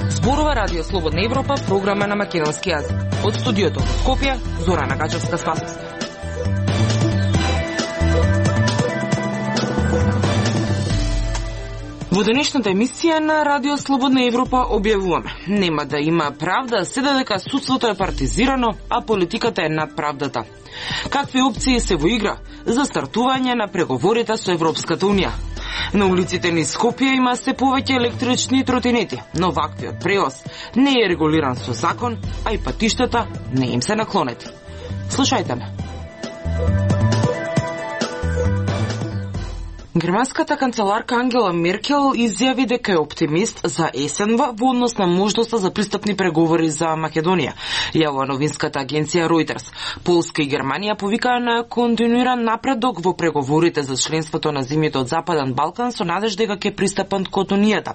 Зборува Радио Слободна Европа, програма на македонски јазик. Од студиото во Скопје, Зорана Гачевска-Спасовска. Во денешната емисија на Радио Слободна Европа објавуваме: нема да има правда, се додека судството е партизирано, а политиката е над правдата. Какви опции се во игра за стартување на преговорите со Европската Унија? На улиците низ Скопје има се повеќе електрични тротинети, но ваквиот превоз не е регулиран со закон, а и патиштата не им се наклонети. Слушајте ме. Германската канцеларка Ангела Меркел изјави дека е оптимист за есенва во однос на можноста за пристапни преговори за Македонија, јавува новинската агенција Reuters. Полска и Германија повикаа на континуиран напредок во преговорите за членството на земјите од Западен Балкан со надеж дека ќе пристапат кон Унијата,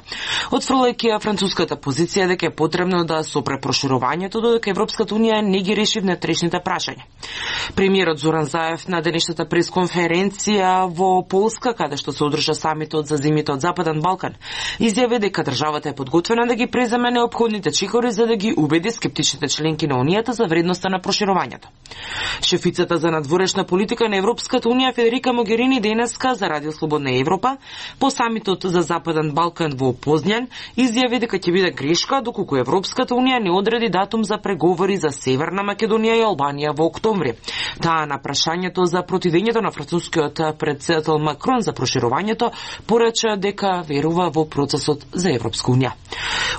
отфрлајќи ја француската позиција дека е потребно да се опре проширувањето додека Европската Унија не ги реши внатрешните прашања. Премиерот Зоран Заев на денешната пресконференција во Полска, каде што се одржа самитот за земјите од Западен Балкан, изјави дека државата е подготвена да ги преземе неопходните чекори за да ги убеди скептичните членки на Унијата за вредноста на проширувањето. Шефицата за надворешна политика на Европската Унија Федерика Могерини денеска за Радио Слободна Европа по самитот за Западен Балкан во Позњан изјави дека ќе биде грешка доколку Европската Унија не одреди датум за преговори за Северна Македонија и Албанија во октомври. Таа на прашањето за противењето на францускиот претседател Макрон за проширувањето порача дека верува во процесот за Европска Унија.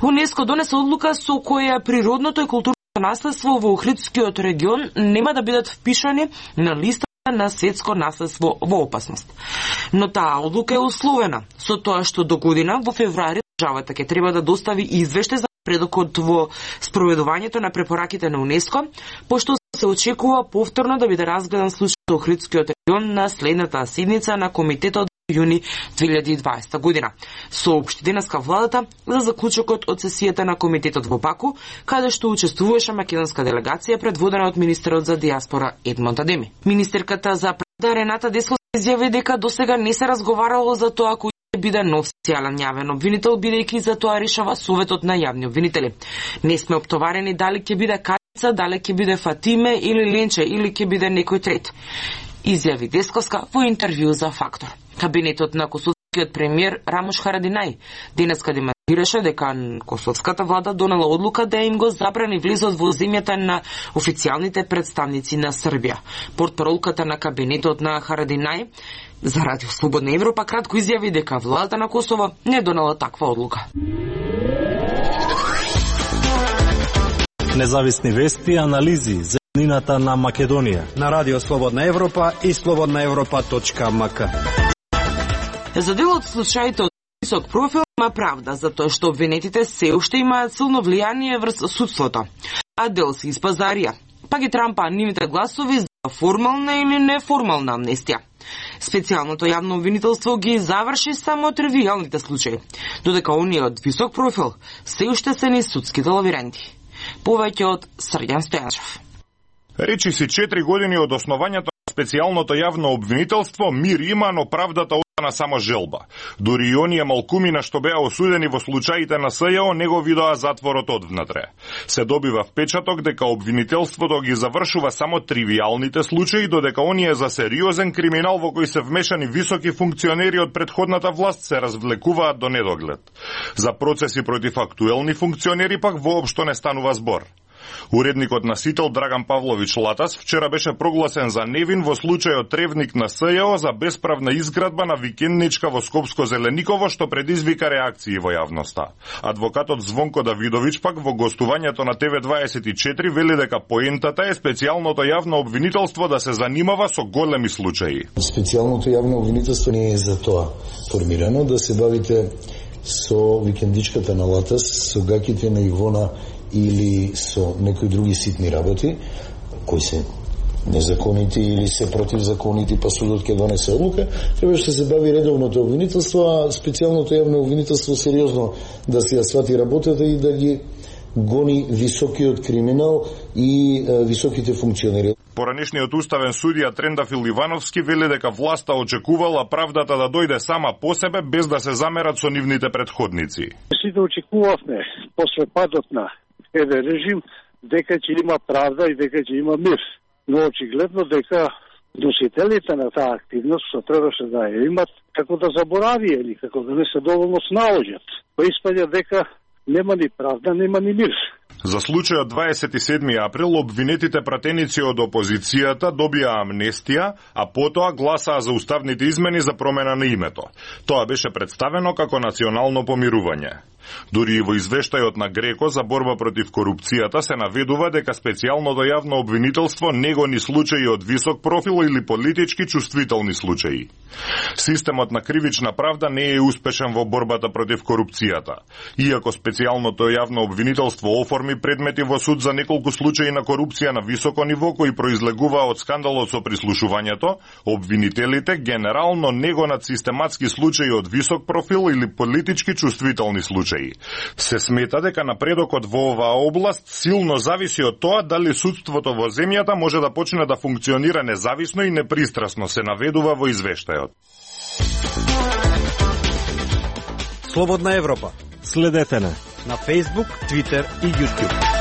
УНЕСКО донесе одлука со која природното и културното наследство во Охридскиот регион нема да бидат впишани на листа на светско наследство во опасност. Но таа одлука е условена со тоа што до година во февруари државата ќе треба да достави извештај за напредокот во спроведувањето на препораките на УНЕСКО, пошто се очекува повторно да биде разгледан случајот во Охридскиот регион на следната седница на комитетот јуни 2020 година. Соопшти денеска владата за заклучокот од сесијата на комитетот во Баку, каде што учествуваше македонска делегација предводена од министерот за диаспора Едмонд Адеми. Министерката за правда Рената Деско изјави дека досега не се разговарало за тоа кој ќе биде нов специјален јавен обвинител, бидејќи за тоа решава Советот на јавни обвинители. Не сме оптоварени дали ќе биде Кајца, дали ќе биде Фатиме или Ленче или ќе биде некој трет, изјави Десковска во интервју за Фактор. Кабинетот на косовскиот премиер Рамош Харадинај денеска демонстрираше дека косовската влада донела одлука да им го забрани влизот во земјата на официјалните представници на Србија. Портпаролката на кабинетот на Харадинај за Радио Слободна Европа кратко изјави дека владата на Косово не донела таква одлука. Независни вести и анализи за еднината на Македонија на Радио Слободна Европа и slobodnaevropa.mk. За дел од случаите од висок профил има правда, затоа што обвинетите се уште имаат силно влијание врз судството, а дел се испазарија, па ги трампаа нивните гласови за формална или неформална амнестија. Специјалното јавно обвинителство ги заврши само тривијалните случаи, додека оние од висок профил се уште се низ судските лавиренти. Повеќе од Срѓан Стојанчев. Речи си 4 години од основањето на специјалното јавно обвинителство, мир има, но правдата остана само желба. Дури и оние малкумина што беа осудени во случаите на СЈО не го видоа затворот одвнатре. Се добива впечаток дека обвинителството ги завршува само тривијалните случаи, додека оние за сериозен криминал во кој се вмешани високи функционери од претходната власт се развлекуваат до недоглед. За процеси против актуелни функционери пак воопшто не станува збор. Уредникот на Сител Драган Павлович Латас вчера беше прогласен за невин во случајот Тревник на СЈО за бесправна изградба на викендничка во Скопско Зелениково, што предизвика реакции во јавноста. Адвокатот Звонко Давидович пак во гостувањето на ТВ24 вели дека поентата е специјалното јавно обвинителство да се занимава со големи случаи. Специјалното јавно обвинителство не е за тоа формирано, да се бавите со викендичката на Латас, со гаките на Ивона или со некои други ситни работи, кои се незаконити или се противзаконити, па судот ќе донесе одлука, требаше да се бави редовното обвинителство, а специјалното јавно обвинителство сериозно да се ја свати работата и да ги гони високиот криминал и високите функционери. Поранешниот уставен судија Трендафил Ивановски вели дека власта очекувала правдата да дојде сама по себе без да се замерат со нивните предходници. Сите очекувавме после падот на ЕВ режим дека ќе има правда и дека ќе има мир. Но очигледно дека носителите на таа активност што требаше да ја имат, како да заборавија или како да не се доволно снаоѓат. Па испаѓа дека нема ни правда, нема ни мир. За случајот 27. април обвинетите пратеници од опозицијата добија амнестија, а потоа гласаа за уставните измени за промена на името. Тоа беше представено како национално помирување. Дури и во извештајот на Греко за борба против корупцијата се наведува дека специјалното јавно обвинителство не гони случаи од висок профил или политички чувствителни случаи. Системот на кривична правда не е успешен во борбата против корупцијата. Иако специјалното јавно обвинителство оформи предмети во суд за неколку случаи на корупција на високо ниво кои произлегуваа од скандалот со прислушувањето, обвинителите генерално не гонат систематски случаи од висок профил или политички чувствителни случаи. Се смета дека напредокот во оваа област силно зависи од тоа дали судството во земјата може да почне да функционира независно и непристрасно, се наведува во извештајот. Слободна Европа. Следете не На Facebook, Twitter и YouTube.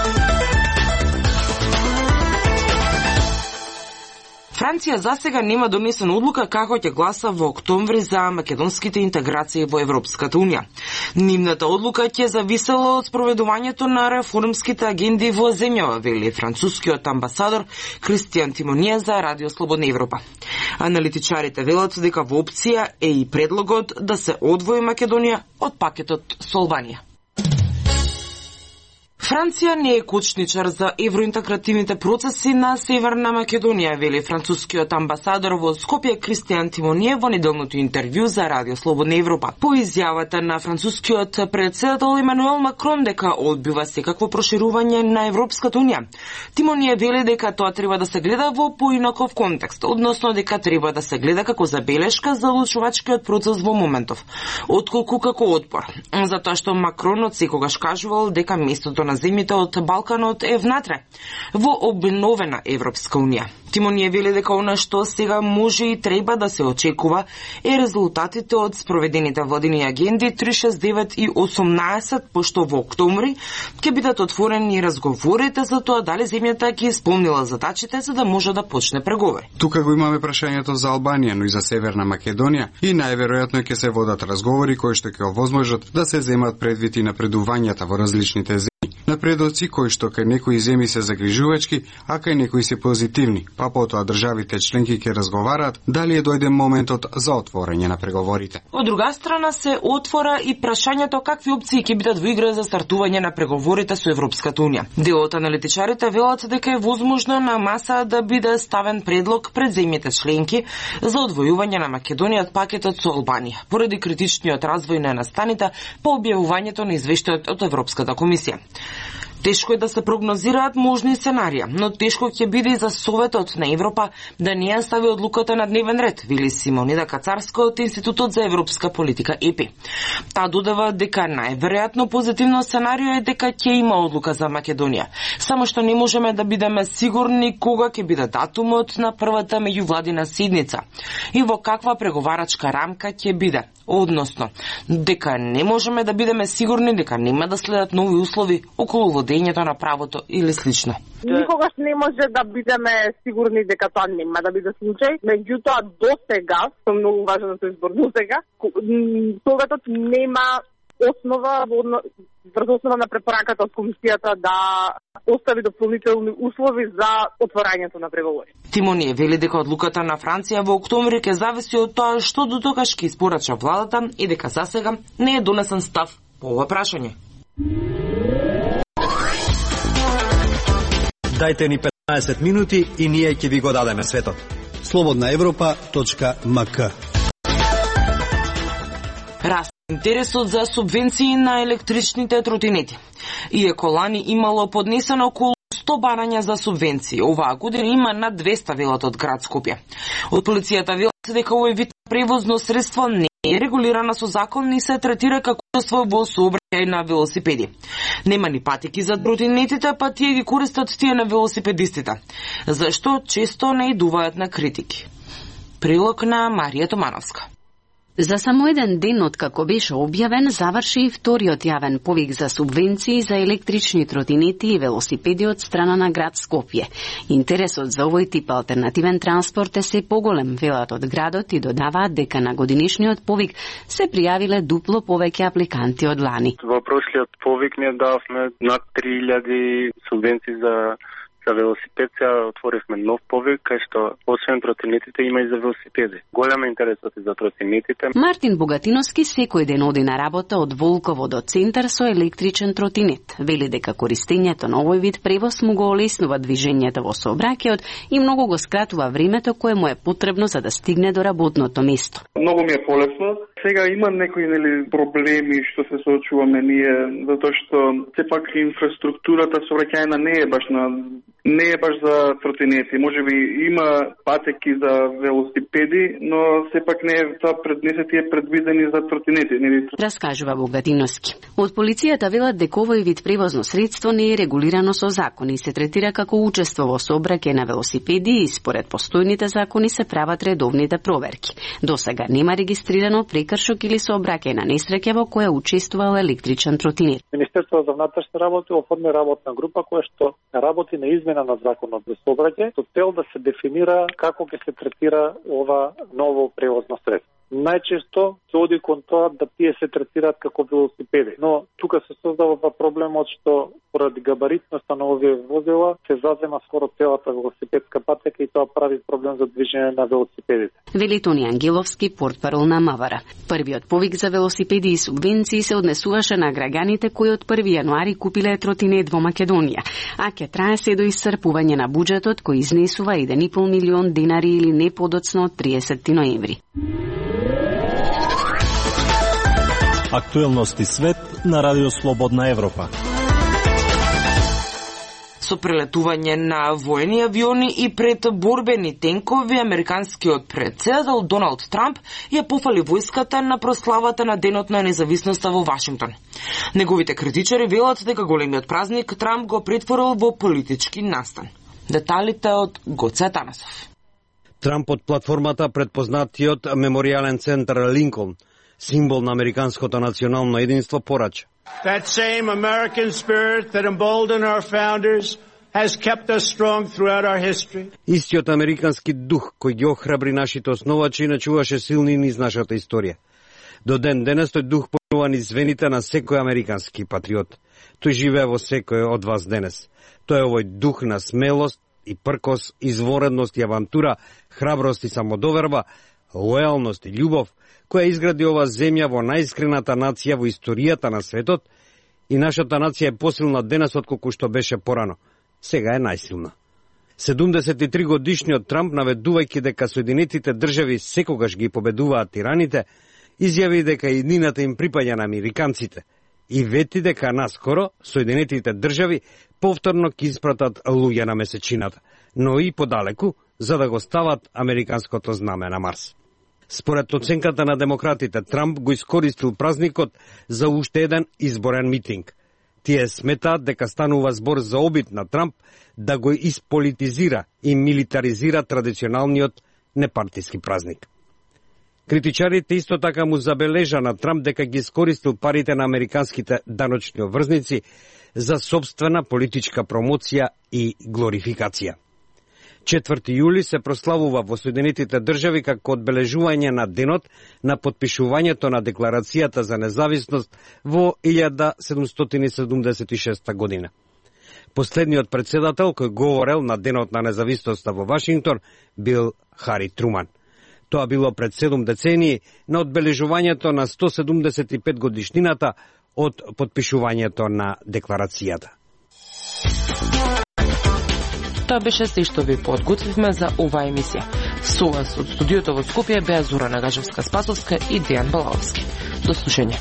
Франција засега нема донесена одлука како ќе гласа во октомври за македонските интеграции во Европската унија. Нивната одлука ќе зависела од спроведувањето на реформските агенди во земјава, вели францускиот амбасадор Кристијан Тимоние за Радио Слободна Европа. Аналитичарите велат дека во опција е и предлогот да се одвои Македонија од пакетот со Албанија. Франција не е кочничар за евроинтегративните процеси на Северна Македонија, вели францускиот амбасадор во Скопје Кристијан Тимоние во неделното интервју за Радио Слободна Европа. По изјавата на францускиот претседател Емануел Макрон дека одбива секакво проширување на Европската унија, Тимоние вели дека тоа треба да се гледа во поинаков контекст, односно дека треба да се гледа како забелешка за одлучувачкиот процес во моментов, отколку како отпор. Затоа што Макрон од секогаш кажувал дека местото на земјите од Балканот е внатре, во обновена Европска унија. Тимоние вели дека она што сега може и треба да се очекува е резултатите од спроведените владини агенди 369 и 18, пошто во октомври ќе бидат отворени разговорите за тоа дали земјата ќе исполнила задачите за да може да почне преговори. Тука го имаме прашањето за Албанија, но и за Северна Македонија и најверојатно ќе се водат разговори кои што ќе овозможат да се земат предвид и напредувањата во различните земји. Напредоци кои што кај некои земји се загрижувачки, а кај некои се позитивни, па потоа државите членки ќе разговараат дали е дојде моментот за отворање на преговорите. Од друга страна се отвора и прашањето какви опции ќе бидат во игра за стартување на преговорите со Европската унија. Дел од аналитичарите велат дека е возможно на маса да биде ставен предлог пред земјите членки за одвојување на Македонија од пакетот со Албанија, поради критичниот развој на настаните по објавувањето на извештајот од Европската комисија. Тешко е да се прогнозираат можни сценарија, но тешко ќе биде и за Советот на Европа да не ја стави одлуката на дневен ред, вели Симонида Кацарска од Институтот за европска политика ЕПИ. Таа додава дека најверојатно позитивно сценарио е дека ќе има одлука за Македонија, само што не можеме да бидеме сигурни кога ќе биде датумот на првата меѓувладина седница и во каква преговарачка рамка ќе биде. Односно, дека не можеме да бидеме сигурни дека нема да следат нови услови околу водењето на правото или слично. Никогаш не може да бидеме сигурни дека тоа нема да биде случај, меѓутоа до сега, со многу важен избор до сега, Советот нема основа врз основа на препораката од комисијата да остави дополнителни услови за отворањето на преговори. Тимоние вели дека одлуката на Франција во октомври ќе зависи од тоа што дотогаш ќе испорача владата и дека засега не е донесен став по ова прашање. Дајте ни 15 минути и ние ќе ви го дадеме светот. slobodnaevropa.mk Раст интересот за субвенции на електричните тротинети. Иако лани имало поднесено околу 100 барања за субвенции, оваа година има над 200 велат од град Скопје. Од полицијата велат дека овој вид превозно средство не е регулирана со закон и се третира како во сообраќај на велосипеди. Нема ни патеки за тротинетите, па тие ги користат тие на велосипедистите, зашто често не идуваат на критики. Прилог на Марија Томановска. За само еден ден откако беше објавен, заврши и вториот јавен повик за субвенции за електрични тротинети и велосипеди од страна на град Скопје. Интересот за овој тип алтернативен транспорт е се поголем, велат од градот, и додаваат дека на годинишниот повик се пријавиле дупло повеќе апликанти од лани. Во прошлиот повик ние дававме над 3000 субвенции за велосипед, сега отворивме нов повик, кај што освен тротинетите има и за велосипеди. Голем интересот и за тротинетите. Мартин Богатиновски секој ден оди на работа од Волково до центар со електричен тротинет. Вели дека користењето на овој вид превоз му го олеснува движењето во сообраќајот и многу го скратува времето кое му е потребно за да стигне до работното место. Многу ми е полесно. Сега има некои проблеми што се соочуваме ние, затоа што сепак инфраструктурата сообраќајна не е баш за тротинети. Можеби има патеки за велосипеди, но сепак не се тие предвидени за тротинети. Раскажува Богатиновски. Од полицијата велат дека овој вид превозно средство не е регулирано со закони и се третира како учество во сообраќај на велосипеди и според постојните закони се прават редовните проверки. Досега нема регистрирано прекршок или сообраќај на несреќа во која учествувал електричен тротинет. Министерството за внатрешни работи оформи работна група која што работи на измена на законот за сообраќај со цел да се дефинира како ќе се третира ова ново превозно средство. Најчесто се оди кон тоа да тие се третираат како велосипеди, но тука се создава проблемот што поради габаритноста на овие возила се зазема скоро целата велосипедска патека и тоа прави проблем за движење на велосипедите. Вели Тони Ангеловски, портпарол на Мавара. Првиот повик за велосипеди и субвенции се однесуваше на граѓаните кои од 1 јануари купиле тротинет во Македонија, а ќе трае се до исцрпување на буџетот кој изнесува 1,5 милион денари или не подоцно од 30 ноември. Актуелности свет на Радио Слободна Европа. Со прелетување на воени авиони и пред борбени тенкови, американскиот председател Доналд Трамп ја пофали војската на прославата на Денот на независноста во Вашингтон. Неговите критичари велат дека големиот празник Трамп го претворил во политички настан. Деталите од Гоце Атанасов. Трамп од платформата предпознатиот меморијален центар Линколн, символ на американското национално единство, порача. That same American spirit that emboldened our founders has kept us strong throughout our history. Истиот американски дух кој ги охрабри нашите основачи и начуваше силни низ нашата историја. До ден денес тој дух понува низ вените на секој американски патриот. Тој живее во секој од вас денес. Тој е овој дух на смелост и пркос, изворедност и авантура, храброст и самодоверба, лојалност и љубов, која изгради ова земја во најискрената нација во историјата на светот, и нашата нација е посилна денес отколку што беше порано. Сега е најсилна. 73 годишниот Трамп, наведувајќи дека Соединетите држави секогаш ги победуваат тираните, изјави дека иднината им припаѓа на американците и вети дека наскоро Соединетите држави повторно ќе испратат луѓе на месечината, но и подалеку, за да го стават американското знаме на Марс. Според оценката на демократите, Трамп го искористил празникот за уште еден изборен митинг. Тие сметаат дека станува збор за обид на Трамп да го исполитизира и милитаризира традиционалниот непартиски празник. Критичарите исто така му забележа на Трамп дека ги искористил парите на американските даночни обврзници за собствена политичка промоција и глорификација. 4 јули се прославува во Соединетите држави како одбележување на денот на потпишувањето на Декларацијата за независност во 1776 година. Последниот председател кој говорел на Денот на независноста во Вашингтон бил Хари Труман. Тоа било пред 7 децении на одбележувањето на 175 годишнината од потпишувањето на Декларацијата. Тоа беше се што ви подготвивме за оваа емисија. Со вас од студиото во Скопје беа Зора Нагажевска-Спасовска и Дејан Балаовски. До слушање.